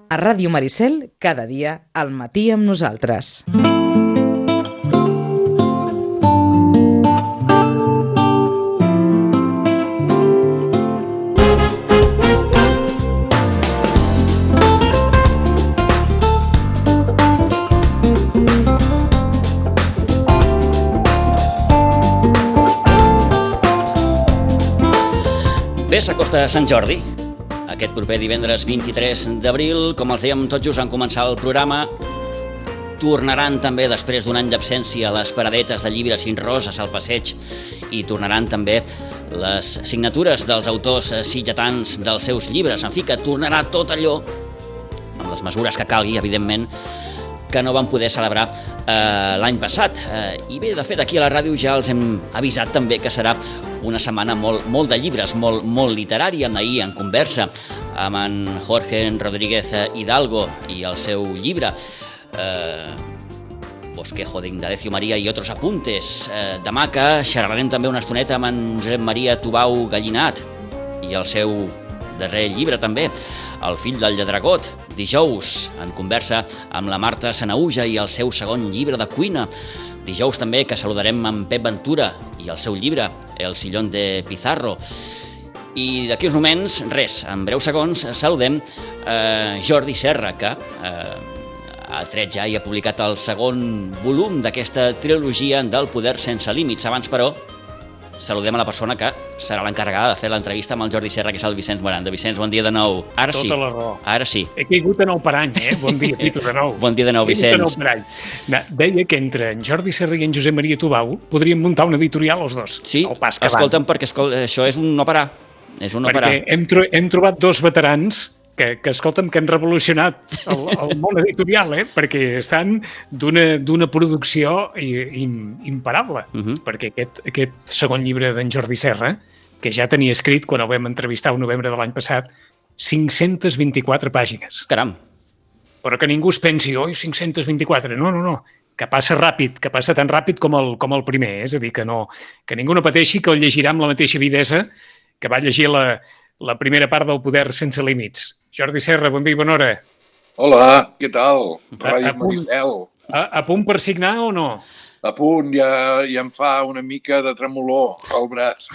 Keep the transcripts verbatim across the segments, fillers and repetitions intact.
A Ràdio Maricel, cada dia al matí amb nosaltres. Bé, s'acosta Sant Jordi. Aquest proper divendres vint-i-tres d'abril, com els dèiem tot just en començar el programa, tornaran també, després d'un any d'absència, les paradetes de llibres i roses al passeig i tornaran també les signatures dels autors sitgetans dels seus llibres. En fi, que tornarà tot allò, amb les mesures que calgui, evidentment, que no van poder celebrar eh, l'any passat. Eh, I bé, de fet, aquí a la ràdio ja els hem avisat també que serà una setmana molt, molt de llibres, molt, molt literària. Ahir, en conversa amb en Jorge Rodríguez Hidalgo i el seu llibre eh, Bosquejo de Indalecio María i otros apuntes. Eh, demà que xerrarem també una estoneta amb en Josep Maria Tubau Gallinat i el seu darrer llibre també, El fill del lladregot. Dijous, en conversa amb la Marta Sanahuja i el seu segon llibre de cuina. Dijous també que saludarem amb Pep Ventura i el seu llibre El sillón de Pizarro. I d'aquí uns moments, res, en breus segons, saludem eh, Jordi Serra, que eh, ha tret ja i ha publicat el segon volum d'aquesta trilogia del Poder sense límits. Abans, però, saludem a la persona que serà l'encarregada de fer l'entrevista amb el Jordi Serra, que és el Vicenç Moranda. Vicenç, bon dia de nou. Ara sí. Tota la raó. Ara sí. He caigut a nou per any, eh? Bon dia, Pitu, de nou. Bon dia de nou, Vicenç. Nou per any. Deia que entre en Jordi Serra i en Josep Maria Tubau podríem muntar una editorial els dos. Sí, el pas que escolta'm, van. perquè escol... això és un no parar. És un no perquè parar. Hem, tro hem trobat dos veterans que, que escolta'm, que han revolucionat el, el món editorial, eh? Perquè estan d'una producció im, imparable. Uh -huh. Perquè aquest, aquest segon llibre d'en Jordi Serra, que ja tenia escrit quan el vam entrevistar el novembre de l'any passat, cinc-centes vint-i-quatre pàgines. Caram! Però que ningú es pensi, oi, cinc-centes vint-i-quatre. No, no, no. Que passa ràpid, que passa tan ràpid com el, com el primer. És a dir, que, no, que ningú no pateixi que el llegirà amb la mateixa avidesa que va llegir la, la primera part del Poder sense límits. Jordi Serra, bon dia i bona hora. Hola, què tal? Ràdio A, a, punt, Maricel. a, a punt per signar o no? A punt, ja, ja em fa una mica de tremolor al braç.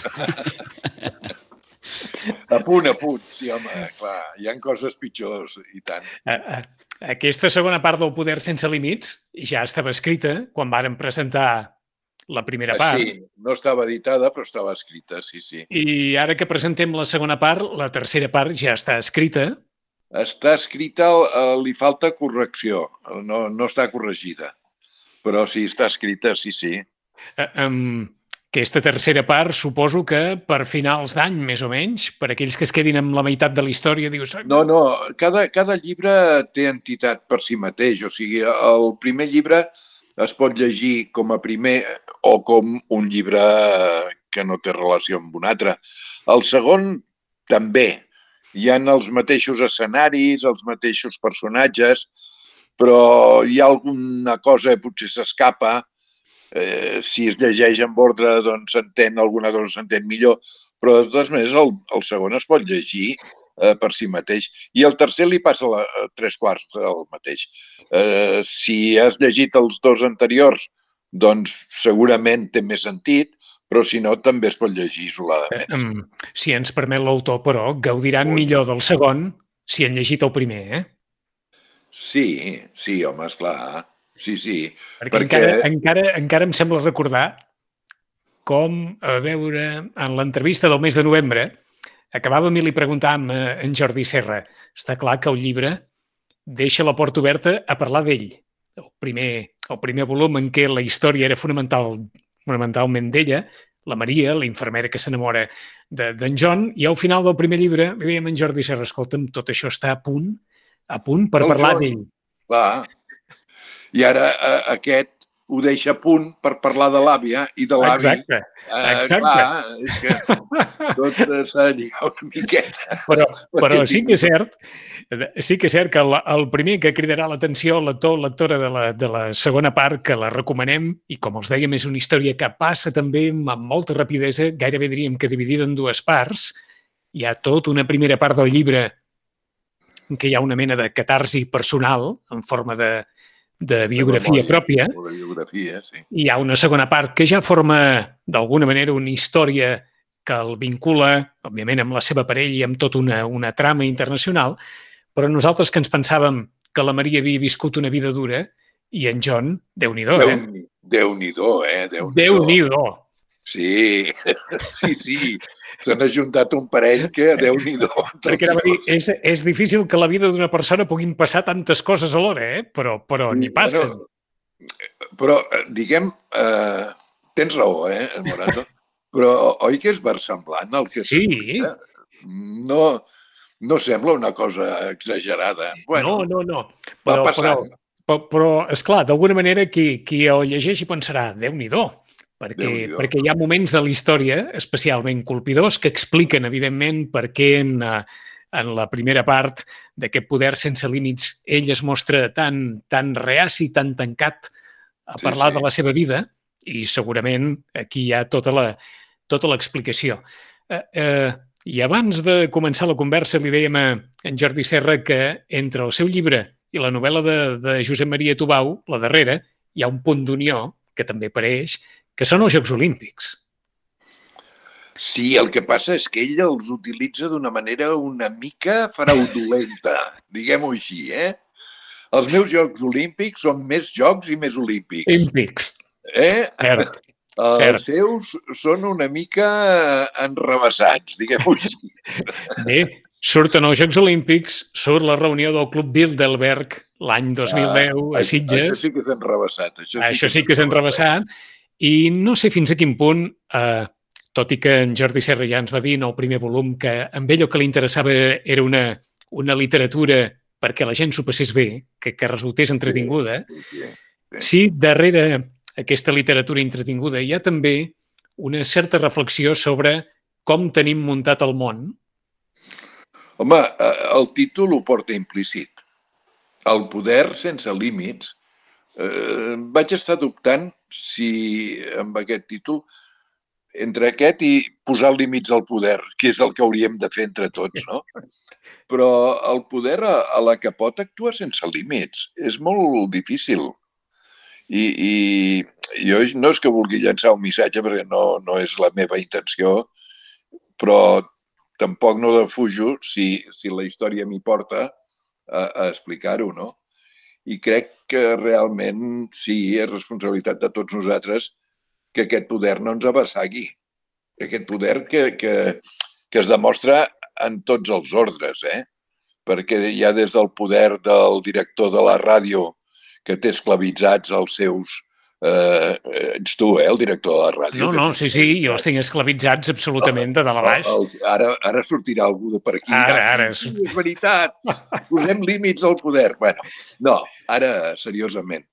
A punt, a punt, sí, home, clar, hi ha coses pitjors, i tant. A, a, aquesta segona part del Poder sense límits ja estava escrita quan varen presentar la primera part. Sí, no estava editada, però estava escrita, sí, sí. I ara que presentem la segona part, la tercera part ja està escrita. Està escrita, li falta correcció, no, no està corregida. Però sí, està escrita, sí, sí. Uh, um, aquesta tercera part, suposo que per finals d'any, més o menys, per aquells que es quedin amb la meitat de la història, dius... No, no, cada, cada llibre té entitat per si mateix. O sigui, el primer llibre es pot llegir com a primer o com un llibre que no té relació amb un altre. El segon, també. Hi ha els mateixos escenaris, els mateixos personatges, però hi ha alguna cosa que potser s'escapa. Eh, si es llegeix en ordre, doncs s'entén, alguna cosa s'entén millor, però de totes maneres el, el segon es pot llegir eh, per si mateix. I el tercer li passa la, tres quarts del mateix. Eh, si has llegit els dos anteriors, doncs segurament té més sentit, però si no, també es pot llegir isoladament. Eh, um, si ens permet l'autor, però, gaudiran Ui. millor del segon si han llegit el primer, eh? Sí, sí, home, esclar. Sí, sí. Perquè, perquè... Encara, encara, encara em sembla recordar com, a veure, en l'entrevista del mes de novembre, acabàvem i li preguntàvem a en Jordi Serra, està clar que el llibre deixa la porta oberta a parlar d'ell. El primer, el primer volum en què la història era fonamental, fonamentalment d'ella, la Maria, la infermera que s'enamora d'en de, John, i al final del primer llibre li dèiem a en Jordi Serra, escolta'm, tot això està a punt, a punt per el parlar d'ell. Clar. I ara eh, aquest ho deixa a punt per parlar de l'àvia i de l'avi. Exacte, exacte. Eh, clar, és que tot s'ha de lligar una miqueta. Però, però sí que és cert, sí que és cert que el, el primer que cridarà l'atenció, l'actor o l'actora de, la, de la segona part, que la recomanem, i com els dèiem, és una història que passa també amb molta rapidesa, gairebé diríem que dividida en dues parts. Hi ha tot una primera part del llibre en què hi ha una mena de catarsi personal en forma de, de biografia de memòria, pròpia. O de biografia, sí. I hi ha una segona part que ja forma, d'alguna manera, una història que el vincula, òbviament, amb la seva parella i amb tota una, una trama internacional, però nosaltres que ens pensàvem que la Maria havia viscut una vida dura i en John, Déu-n'hi-do, eh? Déu-n'hi-do, eh? Déu-n'hi-do. Déu-n'hi-do. Sí, sí, sí. S'han ajuntat un parell que Déu-n'hi-do. Perquè anava a dir, és, és difícil que la vida d'una persona puguin passar tantes coses alhora, eh? Però, però n'hi passen. Bueno, però, diguem, eh, tens raó, eh, Morato? Però oi que és versemblant el que Sí. s'explica? No, no sembla una cosa exagerada. Bueno, no, no, no. va Però, passant. però, però, però esclar, d'alguna manera qui, qui el llegeixi pensarà, Déu-n'hi-do, perquè, Déu-n'hi-do. perquè hi ha moments de la història especialment colpidors que expliquen, evidentment, per què en, eh, en la primera part d'aquest poder sense límits ell es mostra tan, tan reaci, tan tancat a Sí, parlar sí. de la seva vida i segurament aquí hi ha tota la, tota l'explicació. Eh, eh, I abans de començar la conversa li dèiem a en Jordi Serra que entre el seu llibre i la novel·la de, de Josep Maria Tubau, la darrera, hi ha un punt d'unió que també apareix, que són els Jocs Olímpics. Sí, el que passa és que ell els utilitza d'una manera una mica fraudulenta, diguem-ho així, eh? Els meus Jocs Olímpics són més jocs i més olímpics. Olímpics, Eh? cert. Els Cert. seus són una mica enrevessats, diguem-ho així. Bé, surten els Jocs Olímpics, surt la reunió del Club Bilderberg l'any dos mil deu a Ah, això- Sitges. Això sí que és enrevessat. Això sí, Això sí que és enrevessat. I no sé fins a quin punt, eh, tot i que en Jordi Serra ja ens va dir en el primer volum que amb ell el que li interessava era una, una literatura perquè la gent s'ho passés bé, que, que resultés entretinguda. Sí, sí, sí. Sí, darrere aquesta literatura entretinguda hi ha també una certa reflexió sobre com tenim muntat el món. Home, eh, el títol ho porta implícit. El poder sense límits. Eh, vaig estar dubtant si amb aquest títol entre aquest i posar límits al poder, que és el que hauríem de fer entre tots, no? Però el poder a, a la que pot actuar sense límits és molt difícil. I, i jo no és que vulgui llançar un missatge perquè no, no és la meva intenció, però tampoc no defujo si, si la història m'hi porta a, a explicar-ho, no? I crec que realment sí, és responsabilitat de tots nosaltres que aquest poder no ens abassagui. Aquest poder que, que, que es demostra en tots els ordres, eh? Perquè hi ha des del poder del director de la ràdio que té esclavitzats els seus... Eh, ets tu, eh, el director de la ràdio. No, no, sí, sí, jo els tinc esclavitzats absolutament de dalt a baix. El, el, ara, ara sortirà algú de per aquí. Ara, ara. Sí, és veritat. Posem límits al poder. Bueno, no, ara, seriosament.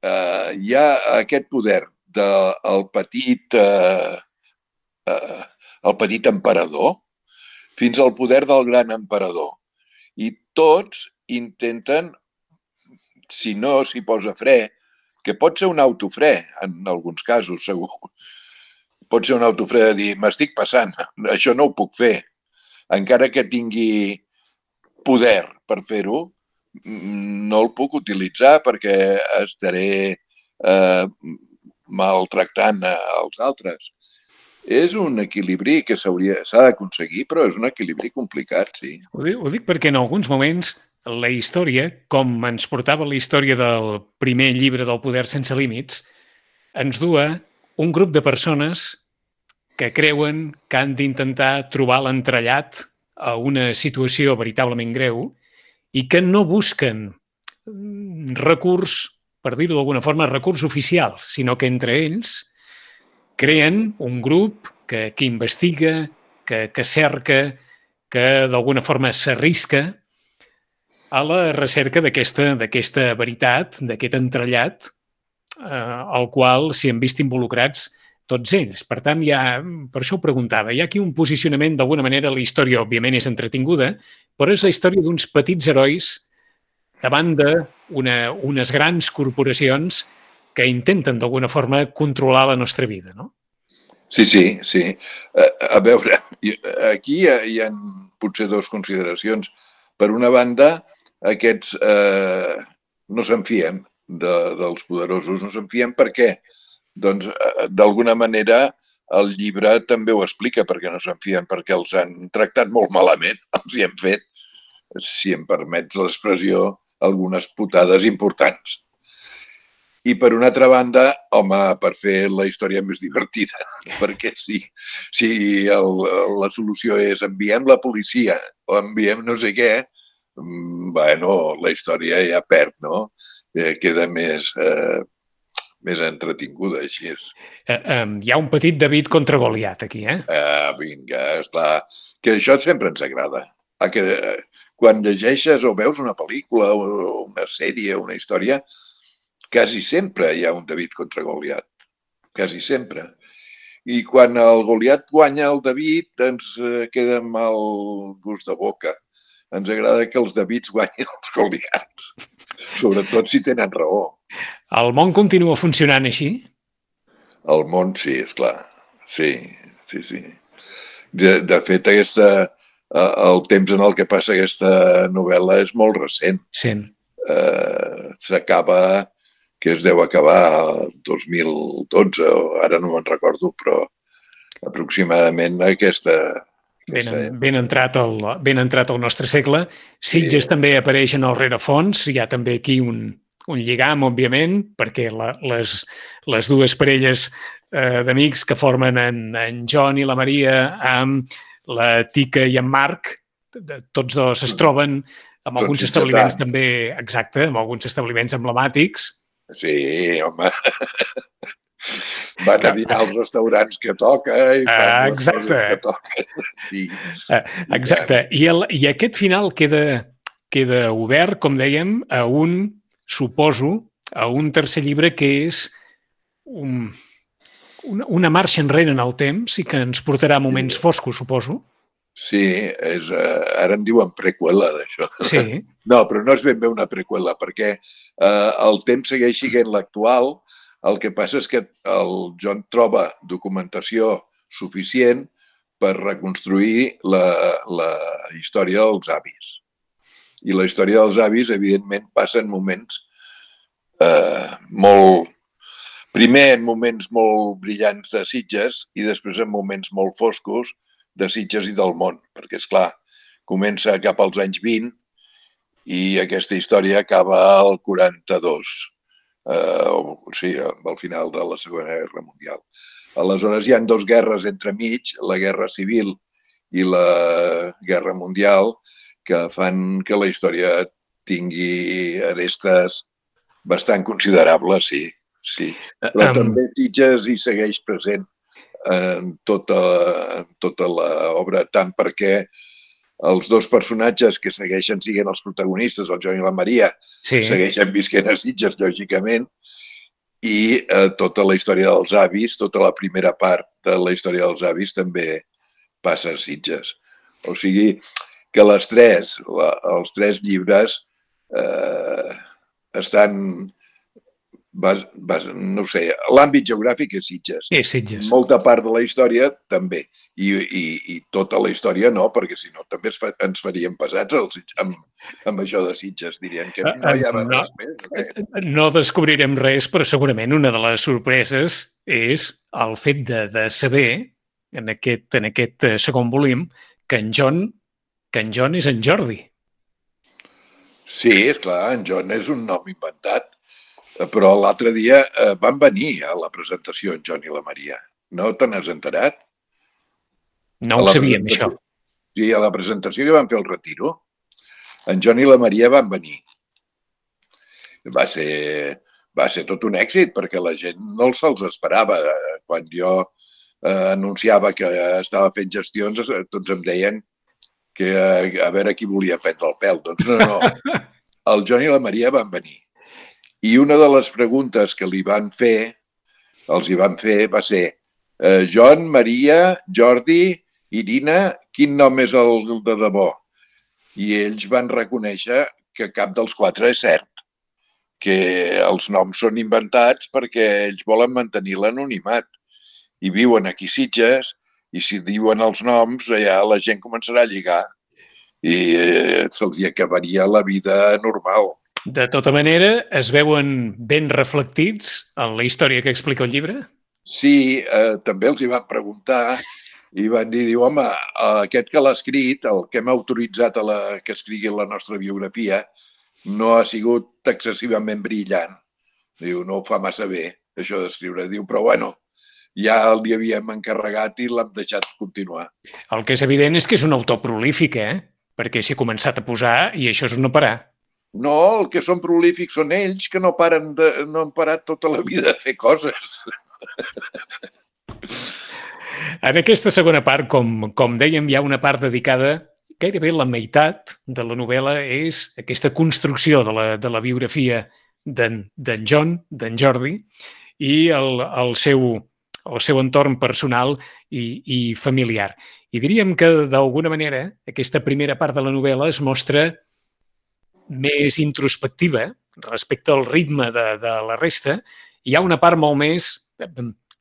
Uh, hi ha aquest poder del petit, uh, uh, el petit emperador fins al poder del gran emperador. I tots intenten, si no s'hi posa fre, que pot ser un autofre, en alguns casos, segur. Pot ser un autofre de dir, m'estic passant, això no ho puc fer. Encara que tingui poder per fer-ho, no el puc utilitzar perquè estaré eh, maltractant els altres. És un equilibri que s'ha d'aconseguir, però és un equilibri complicat, sí. Ho dic, ho dic perquè en alguns moments la història, com ens portava la història del primer llibre del Poder sense límits, ens du a un grup de persones que creuen que han d'intentar trobar l'entrellat a una situació veritablement greu i que no busquen recurs, per dir-ho d'alguna forma, recurs oficial, sinó que entre ells creen un grup que, que investiga, que, que cerca, que d'alguna forma s'arrisca a la recerca d'aquesta d'aquesta veritat, d'aquest entrellat, eh, al qual s'hi han vist involucrats tots ells. Per tant, hi ha, per això ho preguntava, hi ha aquí un posicionament, d'alguna manera, la història, òbviament, és entretinguda, però és la història d'uns petits herois davant d'unes grans corporacions que intenten, d'alguna forma, controlar la nostra vida, no? Sí, sí, sí. A, a veure, aquí hi ha, hi ha potser dues consideracions. per una banda, aquests eh, no se'n fien de, dels poderosos, no se'n fien perquè, doncs, d'alguna manera, el llibre també ho explica perquè no se'n fien, perquè els han tractat molt malament, els hi han fet, si em permets l'expressió, algunes putades importants. I per una altra banda, home, per fer la història més divertida, perquè si, si el, la solució és enviem la policia o enviem no sé què, bueno, la història ja perd, no? Eh, queda més, eh, més entretinguda, així és. Eh, eh, hi ha un petit David contra Goliat aquí, eh? Eh, vinga, esclar, que això sempre ens agrada. A que, eh, quan llegeixes o veus una pel·lícula o una sèrie o una història, quasi sempre hi ha un David contra Goliat, quasi sempre. I quan el Goliat guanya el David ens queda mal gust de boca. Ens agrada que els Davids guanyin els Goliats, sobretot si tenen raó. El món continua funcionant així? El món sí, esclar, sí, sí, sí. De, de fet, aquesta, el temps en el que passa aquesta novel·la és molt recent. Sí. Eh, s'acaba... que es deu acabar el dos mil dotze, o ara no me'n recordo, però aproximadament aquesta... Ben, ben, entrat el, ben entrat al nostre segle. Sitges sí. També apareix en el rerefons, hi ha també aquí un, un lligam, òbviament, perquè la, les, les dues parelles eh, d'amics que formen en, en John i la Maria amb la Tica i en Marc, tots dos es troben amb alguns establiments també, exacte, amb alguns establiments emblemàtics. Sí, home. Van a dinar als restaurants que toca i fan les coses que toquen. Sí. Exacte. I, el, I aquest final queda, queda obert, com dèiem, a un, suposo, a un tercer llibre que és un, una, una marxa enrere en el temps i que ens portarà a moments sí. foscos, suposo. Sí, és, uh, ara en diuen preqüela, d'això. Sí. No, però no és ben bé una preqüela, perquè uh, el temps segueix sent l'actual. El que passa és que el John troba documentació suficient per reconstruir la, la història dels avis. I la història dels avis, evidentment, passa en moments uh, molt... Primer en moments molt brillants de Sitges i després en moments molt foscos de Sitges i del món, perquè, és clar, comença cap als anys vint i aquesta història acaba al quaranta-dos, eh, o, o sigui, al final de la Segona Guerra Mundial. Aleshores hi ha dues guerres entremig, la Guerra Civil i la Guerra Mundial, que fan que la història tingui arestes bastant considerables, sí, sí. Però um... també Sitges hi segueix present en tota, en tota l'obra, tant perquè els dos personatges que segueixen siguent els protagonistes, el John i la Maria, sí. segueixen visquent a Sitges, lògicament, i eh, tota la història dels avis, tota la primera part de la història dels avis també passa a Sitges. O sigui que les tres, la, els tres llibres eh, estan... Bas, bas, no sé, l'àmbit geogràfic és Sitges. És Sitges. Molta part de la història també. I, i, i tota la història no, perquè si no també fa, ens faríem pesats els, amb, amb això de Sitges. Dirien que no hi ha no, res més. Okay? No descobrirem res, però segurament una de les sorpreses és el fet de, de saber, en aquest, en aquest segon volum, que en John, que en John és en Jordi. Sí, és clar, en John és un nom inventat. Però l'altre dia eh, van venir a la presentació en John i la Maria. No te n'has enterat? No ho sabíem, això. Sí, a la presentació que van fer el Retiro, en John i la Maria van venir. Va ser, va ser tot un èxit, perquè la gent no se'ls esperava. Quan jo eh, anunciava que estava fent gestions, tots em deien que eh, a veure qui volia prendre el pèl. Doncs no, no. El John i la Maria van venir. I una de les preguntes que li van fer, els hi van fer, va ser eh, John, Maria, Jordi, Irina, quin nom és el de debò? I ells van reconèixer que cap dels quatre és cert, que els noms són inventats perquè ells volen mantenir l'anonimat. I viuen aquí a Sitges, i si diuen els noms, allà la gent començarà a lligar. i eh, se'ls hi acabaria la vida normal. De tota manera, es veuen ben reflectits en la història que explica el llibre? Sí, eh, també els hi van preguntar i van dir, diu, home, aquest que l'ha escrit, el que hem autoritzat a la, que escrigui la nostra biografia, no ha sigut excessivament brillant. Diu, no ho fa massa bé, això d'escriure. Diu, però bueno, ja li havíem encarregat i l'hem deixat continuar. El que és evident és que és un autor prolífic, eh? Perquè s'hi ha començat a posar i això és no parar. No, el que són prolífics són ells, que no paren de, no han parat tota la vida a fer coses. En aquesta segona part, com, com dèiem, hi ha una part dedicada, gairebé la meitat de la novel·la és aquesta construcció de la, de la biografia d'en John, d'en Jordi, i el, el, seu, el seu entorn personal i, i familiar. I diríem que, d'alguna manera, aquesta primera part de la novel·la es mostra més introspectiva respecte al ritme de, de la resta. Hi ha una part molt més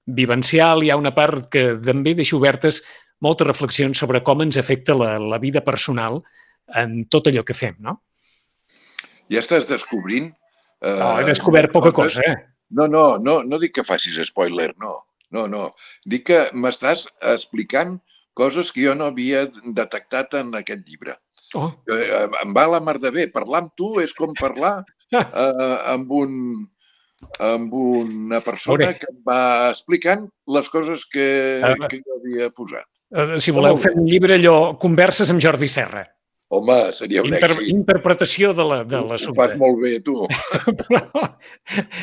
vivencial, hi ha una part que també deixa obertes moltes reflexions sobre com ens afecta la, la vida personal en tot allò que fem, no? Ja estàs descobrint... Eh, no, he descobert poca cosa, eh? No, no, no, no dic que facis spoiler, no. No, no. Dic que m'estàs explicant coses que jo no havia detectat en aquest llibre. Oh. Em va la mar de bé. Parlar amb tu és com parlar eh, amb, un, amb una persona que em va explicant les coses que, uh, que jo havia posat. Uh, si voleu fer un llibre, allò, converses amb Jordi Serra. Home, seria un Inter èxit. Interpretació de l'assumpte. Ho fas molt bé, tu. Però,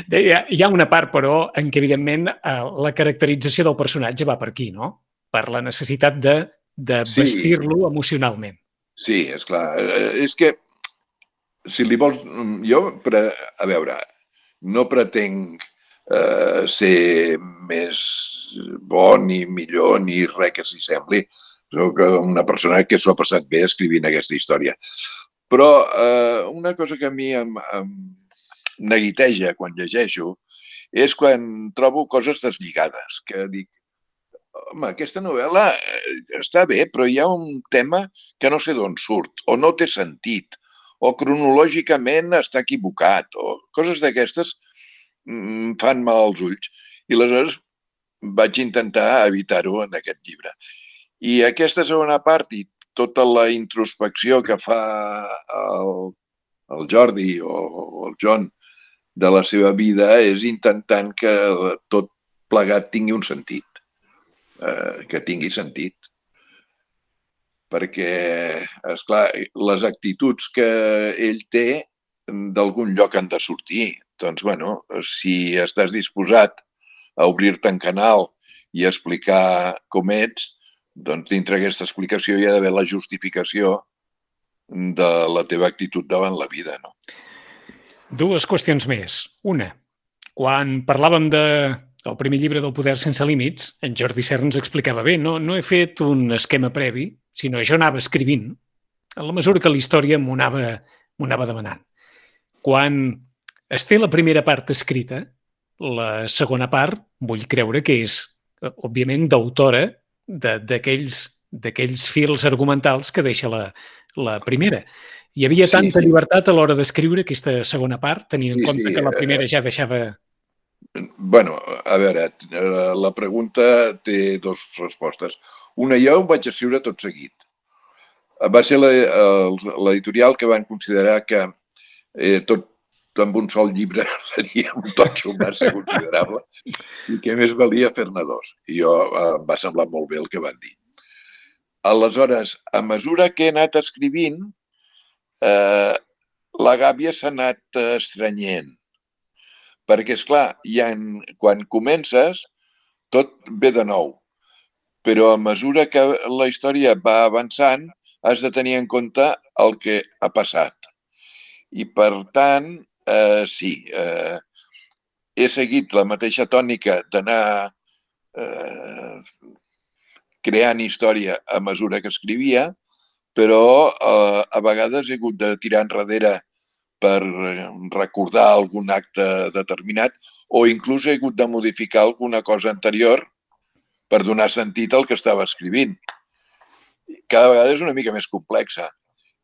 deia, hi ha una part, però, en què, evidentment, la caracterització del personatge va per aquí, no? Per la necessitat de, de Sí. vestir-lo emocionalment. Sí, esclar. És que, si li vols... Jo, pre, a veure, no pretenc eh, ser més bo ni millor ni res que s'hi sembli. Soc una persona que s'ho ha passat bé escrivint aquesta història. Però eh, una cosa que a mi em, em neguiteja quan llegeixo és quan trobo coses deslligades, que dic, home, aquesta novel·la està bé, però hi ha un tema que no sé d'on surt, o no té sentit, o cronològicament està equivocat, o coses d'aquestes fan mal als ulls. I aleshores vaig intentar evitar-ho en aquest llibre. I aquesta segona part i tota la introspecció que fa el, el Jordi o el John de la seva vida és intentant que tot plegat tingui un sentit. Que tingui sentit. Perquè, esclar, les actituds que ell té d'algun lloc han de sortir. Doncs, bueno, si estàs disposat a obrir-te en canal i explicar com ets, doncs dintre aquesta explicació hi ha d'haver la justificació de la teva actitud davant la vida, no? Dues qüestions més. Una, quan parlàvem de el primer llibre del Poder sense límits, en Jordi Serra ens explicava bé, no, no he fet un esquema previ, sinó jo anava escrivint, en la mesura que la història m'ho anava, m'ho anava demanant. Quan es té la primera part escrita, la segona part, vull creure que és, òbviament, d'autora d'aquells d'aquells fils argumentals que deixa la, la primera. Hi havia tanta sí, sí. llibertat a l'hora d'escriure aquesta segona part, tenint en sí, compte sí, que la primera ja deixava... Bueno, a veure, la pregunta té dues respostes. Una, jo ho vaig escriure tot seguit. Va ser l'editorial que van considerar que eh, tot amb un sol llibre seria un totxo massa considerable i que més valia fer-ne dos. I jo em va semblar molt bé el que van dir. Aleshores, a mesura que he anat escrivint, eh, la gàbia s'ha anat estrenyent. Perquè, esclar, ja en, quan comences, tot ve de nou. Però a mesura que la història va avançant, has de tenir en compte el que ha passat. I, per tant, eh, sí, eh, he seguit la mateixa tònica d'anar eh, creant història a mesura que escrivia, però eh, a vegades he hagut de tirar enrere per recordar algun acte determinat o inclús he hagut de modificar alguna cosa anterior per donar sentit al que estava escrivint. Cada vegada és una mica més complexa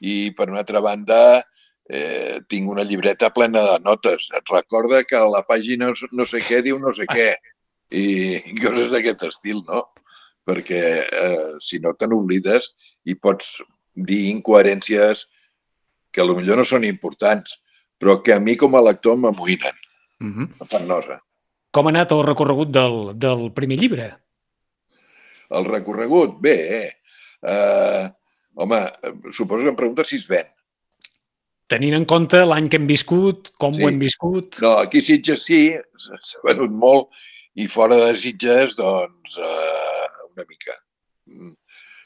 I, per una altra banda, eh, tinc una llibreta plena de notes. Et recorda que la pàgina no sé què diu no sé què. I coses d'aquest estil, no? Perquè eh, si no te n'oblides i pots dir incoherències que potser no són importants, però que a mi com a lector m'amoïnen, Mm-hmm. em fan nosa. Com ha anat el recorregut del, del primer llibre? El recorregut, bé, eh, home, suposo que em preguntes si es ven. Tenint en compte l'any que hem viscut, com Sí. ho hem viscut... No, aquí a Sitges sí, s'ha venut molt, i fora de Sitges, doncs, eh, una mica.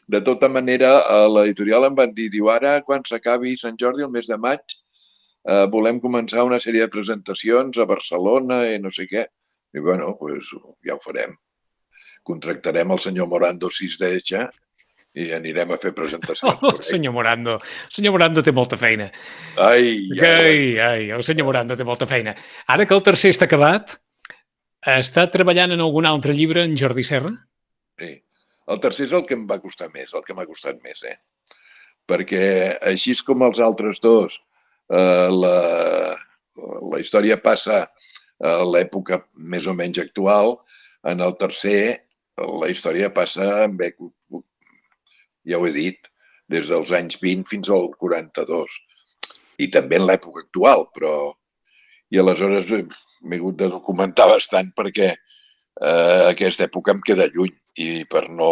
De tota manera, a l'editorial em van dir, diu, ara, quan s'acabi Sant Jordi, el mes de maig, eh, volem començar una sèrie de presentacions a Barcelona i no sé què. I, bueno, pues, ja ho farem. Contractarem el senyor Morando si es deixa i anirem a fer presentacions. Oh, el senyor Morando. El senyor Morando té molta feina. Ai, ja Ai, ai, el senyor Morando té molta feina. Ara que el tercer està acabat, està treballant en algun altre llibre, en Jordi Serra? Sí. El tercer és el que em va costar més, el que m'ha costat més, eh? Perquè així com els altres dos, eh, la, la història passa a l'època més o menys actual, en el tercer la història passa en època, ja ho he dit, des dels anys vint fins al quaranta-dos. I també en l'època actual, però... I aleshores m'he hagut de documentar bastant perquè eh, aquesta època em queda lluny i per no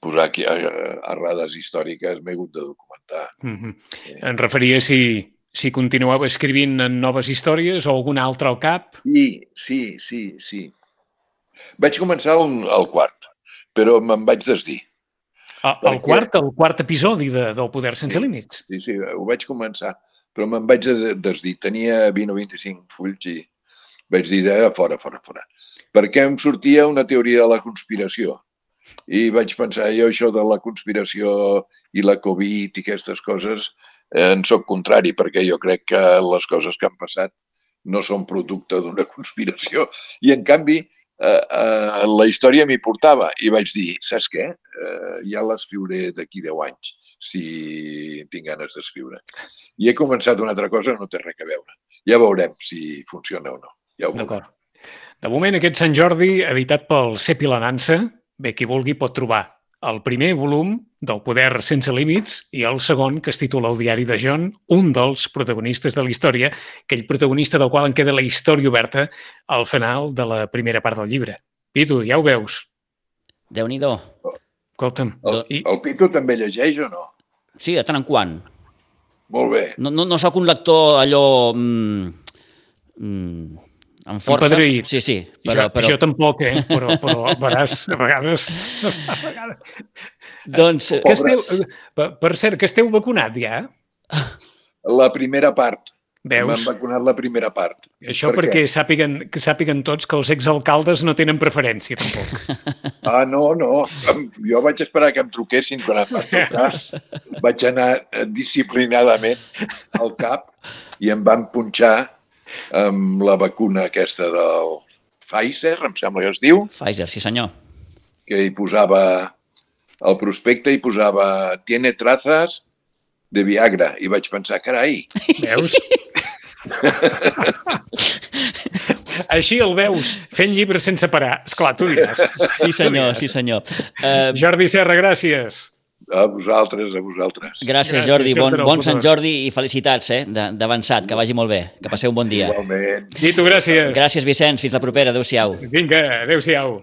posar aquí errades històriques m'he hagut de documentar. Mm-hmm. Em referia si, si continueu escrivint en noves històries o alguna altra al cap. Sí, sí, sí, sí. Vaig començar el, el quart, però me'n vaig desdir. El, el Perquè- quart, el quart episodi de, del Poder sense Sí. límits. Sí, sí, ho vaig començar, però me'n vaig de- desdir. Tenia vint o vint-i-cinc fulls i vaig dir de fora, fora, fora. Perquè em sortia una teoria de la conspiració. I vaig pensar, jo això de la conspiració i la Covid i aquestes coses eh, en soc contrari, perquè jo crec que les coses que han passat no són producte d'una conspiració. I, en canvi, eh, eh, la història m'hi portava i vaig dir, saps què? Eh, ja l'escriuré d'aquí deu anys, si tinc ganes d'escriure. I he començat una altra cosa que no té res a veure. Ja veurem si funciona o no. Ja ho veurem. D'acord. De moment, aquest Sant Jordi, editat pel Cep i la Nansa, bé, qui vulgui pot trobar el primer volum del Poder sense límits i el segon, que es titula El diari de John, un dels protagonistes de la història, aquell protagonista del qual en queda la història oberta al final de la primera part del llibre. Pitu, ja ho veus. Déu-n'hi-do. Escolta'm. El, I, el Pitu també llegeix o no? Sí, de tant en quant. Molt bé. No, no, no sóc un lector allò... Mm, mm, amb força. Empadreït. Sí, sí. Però, Però, però, Jo tampoc, eh? Però, però veràs, a vegades... A vegades... doncs, Que esteu, per, per cert, que esteu vacunat ja? La primera part. M'han Veus? vacunat la primera part. Això Per perquè què? sàpiguen, que sàpiguen tots que els exalcaldes no tenen preferència, tampoc. Ah, no, no. Jo vaig esperar que em truquessin quan em van trucar. Vaig anar disciplinadament al cap i em van punxar amb la vacuna aquesta del Pfizer, em sembla que es diu, Pfizer, sí senyor. que hi posava al prospecte, hi posava tiene trazas de Viagra. I vaig pensar, carai, Veus? Així el veus, fent llibres sense parar. Esclar, tu diràs. Sí senyor, sí senyor. Uh, Jordi Serra, gràcies. a vosaltres, a vosaltres. gràcies, Gràcies, Jordi. Bon, Jordi bon del Sant Poder. Jordi i felicitats eh, de- d'avançat. Que vagi molt bé. Que passeu un bon dia. Igualment. I tu, gràcies. Gràcies, Vicenç. Fins la propera. Adéu-siau. Vinga, adéu-siau.